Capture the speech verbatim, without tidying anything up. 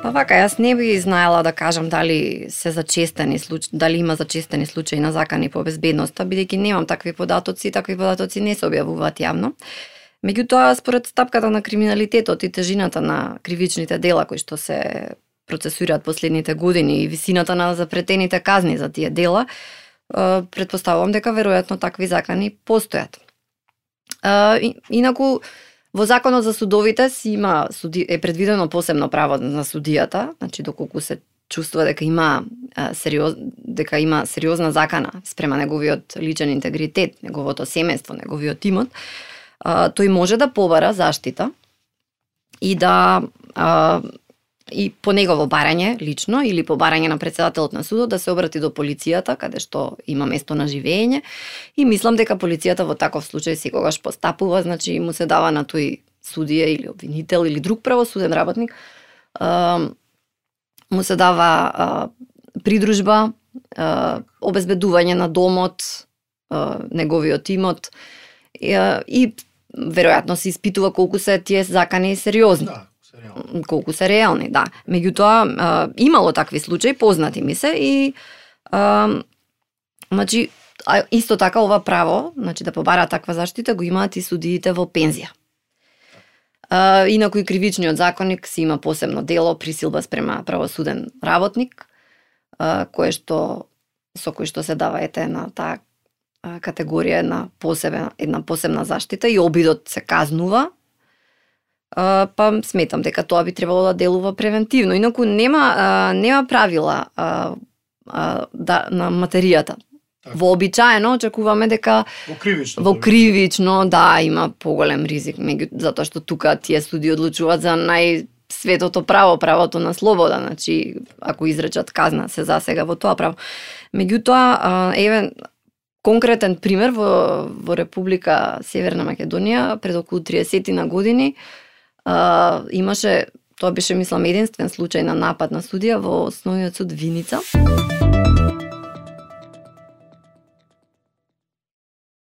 Па вака, јас не би знаела да кажам дали се зачестени случаи, дали има зачестени случаи на закани по безбедноста, бидејќи немам такви податоци, такви податоци не се објавуваат јавно. Меѓутоа, според стапката на криминалитетот и тежината на кривичните дела кои што се процесуираат последните години и висината на запретените казни за тие дела, претпоставувам дека веројатно такви закани постојат. Инаку, во Законот за судовите си има е предвидено посебно право на судијата, значи доколку се чувствува дека има сериоз, дека има сериозна закана спрема неговиот личен интегритет, неговото семејство, неговиот имот, тој може да побара заштита и да а, и по негово барање лично или по барање на председателот на судот да се обрати до полицијата каде што има место на живење, и мислам дека полицијата во таков случај секогаш постапува, значи му се дава на тој судија или обвинител или друг правосуден работник, а, му се дава а, придружба, а, обезбедување на домот, а, неговиот имот, и, а, и веројатно се испитува колку се тие закани сериозни. Да. Колку се реални, да. Меѓутоа, а, имало такви случаи, познати ми се, и а, значи, а, исто така ова право, значи да побара таква заштита, го имаат и судиите во пензија. А, инаку и кривичниот законник си има посебно дело присилба спрема правосуден работник, а, кое што со кој што се дава ете на таа категорија една посебна една посебна заштита и обидот се казнува. Uh, па сметам дека тоа би требало да делува превентивно. Инаку нема uh, нема правила uh, uh, да, на материјата. Так. Вообичаено очекуваме дека во кривично, во кривично да има поголем ризик, меѓу затоа што тука тие суди одлучуваат за најсветото право, правото на слобода, значи ако изречат казна се засега во тоа право. Меѓутоа, uh, еве конкретен пример во во Република Северна Македонија пред околу триесет на години Uh, имаше, тоа беше мислам единствен случај на напад на судија во Основниот суд Виница.